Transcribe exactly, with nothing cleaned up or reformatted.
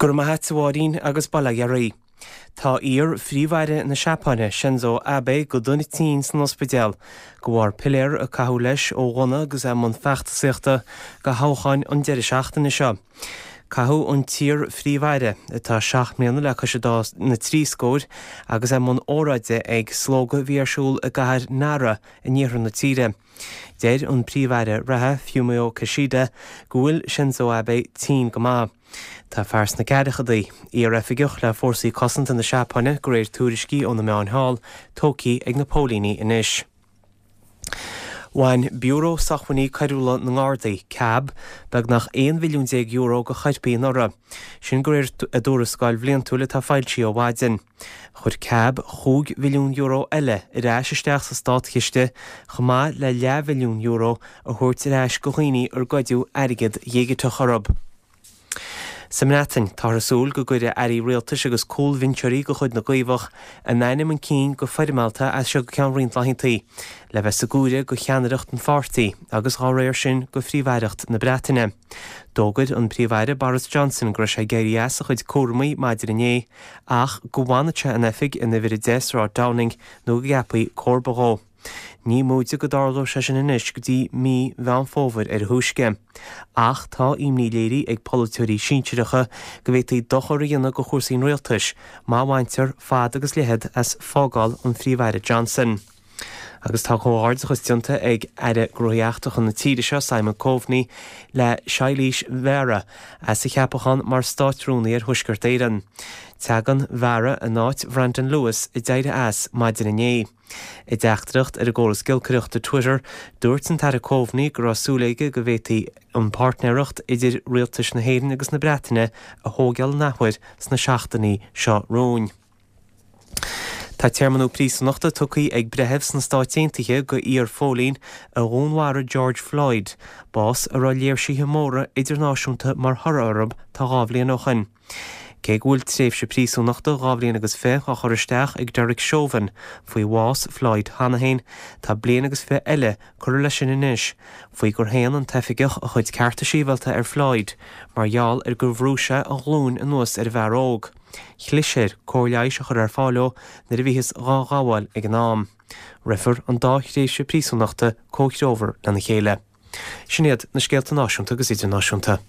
Go raibh maith agat, a Mháirín, agus bail ó Dhia oraibh. Tá iar-phríomh-aire na Seapáine, Shinzo Abe, go dona tinn san ospidéal de bharr piléar a caitheadh leis ó ghunna agus é i mbun feachtasaíochta do thoghcháin an deireadh seachtaine seo. Caitheadh an t-iar-phríomh-aire, atá seacht mbliana le cois na trí scóir, agus é i mbun óráide ag slógadh a bhí ar siúl i gcathair Nara in iarthar na tíre. Deir an Príomh-Aire reatha, Fumio Kishida, go bhfuil Shinzo Abe tinn go maith. Tá fear sna ceathrachaidí, iar-oifigeach le Fórsaí Cosanta na Seapáine, de réir tuairiscí ó na meáin thall, tógtha ag na póilíní anois. Bhain Biúró Sócmhainní Coiriúla na nGardaí, cab, beagnach aon mhilliún déag euro de choirpigh anuraidh. Sin de réir a dtuarascáil bhliantúil atá foilsithe ó mhaidin. Chuir cab chúig mhilliún euro eile ar ais isteach sa státchiste, chomh maith le leathmhilliún euro a thabhairt ar ais do dhaoine ar goideadh airgead dhigiteach orthu. Sa mBreatain, táthar ag súil go gcuirfidh airí rialtais agus cúlbhinseoirí de chuid na gCaomhach a n-ainm chun cinn go foirmeálta as seo go ceann roinnt laethanta, le bheith sa gcomhaireamh do cheannaireacht an pháirtí agus dá réir sin do Phríomh-Aireacht na Breataine. D'fhógair an Príomh-Aire Boris Johnson go raibh sé ag éirí as a chuid cúraimí maidin inné ach go bhfanfadh sé in oifig in uimhir a deich Sráid Downing nó go gceapfaí comharba dhó. Ní móide go dtarlódh sé sin anois go dtí mí Mheán Fómhair ar a thúisce. Ach tá imní léirithe ag polaiteoirí sinsearacha go bhféadfaí dochar a dhéanamh do chúrsaí an rialtais má bhaintear fad agus leithead as fágáil an Phríomh-Aire Johnson. Agus tá comhghairdeachas déanta ag Aire Gnóthaí Eachtracha na tíre seo, Simon Coveney, le Shailesh Vara as a cheapachán mar Státrúnaí ar Thuaisceart Éireann. Tagann Vara in áit Brandon Lewis a d'éirigh as maidin inné. I dteachtaireacht ar an gcóras giolcaireachta Twitter, dúirt an tAire Coveney go raibh súil aige go bhféadfaí an páirtnéireacht idir rialtais na hÉireann agus na Breataine a thógáil an athuair sna seachtainí seo romhainn. Tá téarma nua príosúnachta tugtha ag breitheamh sna Stáit Aontaithe do iar-phóilín a dhúnmharaigh George Floyd, bás a raibh léirsithe móra idirnáisiúnta mar thoradh orthu tá dhá bhliain ó shin. Cé go bhfuil tréimhse príosúnachta dhá bhliain agus fiche á chur isteach ag Derek Chauvin faoi bhás Floyd cheana féin, tá bliain agus fiche eile curtha leis sin anois faoi gur shéan an t-oifigeach a chuid cearta sibhialta ar Floyd mar gheall ar gur bhrúigh sé a ghlúin anuas ar an bhfear óg. Chlis air cóir leighis a chur ar fáil dó nuair a bhíothas dhá ghabháil ag an am. Rithfear an dá thréimhse príosúnachta comhthreomhar lena chéile. Sin iad na scéalta náisiúnta agus idirnáisiúnta.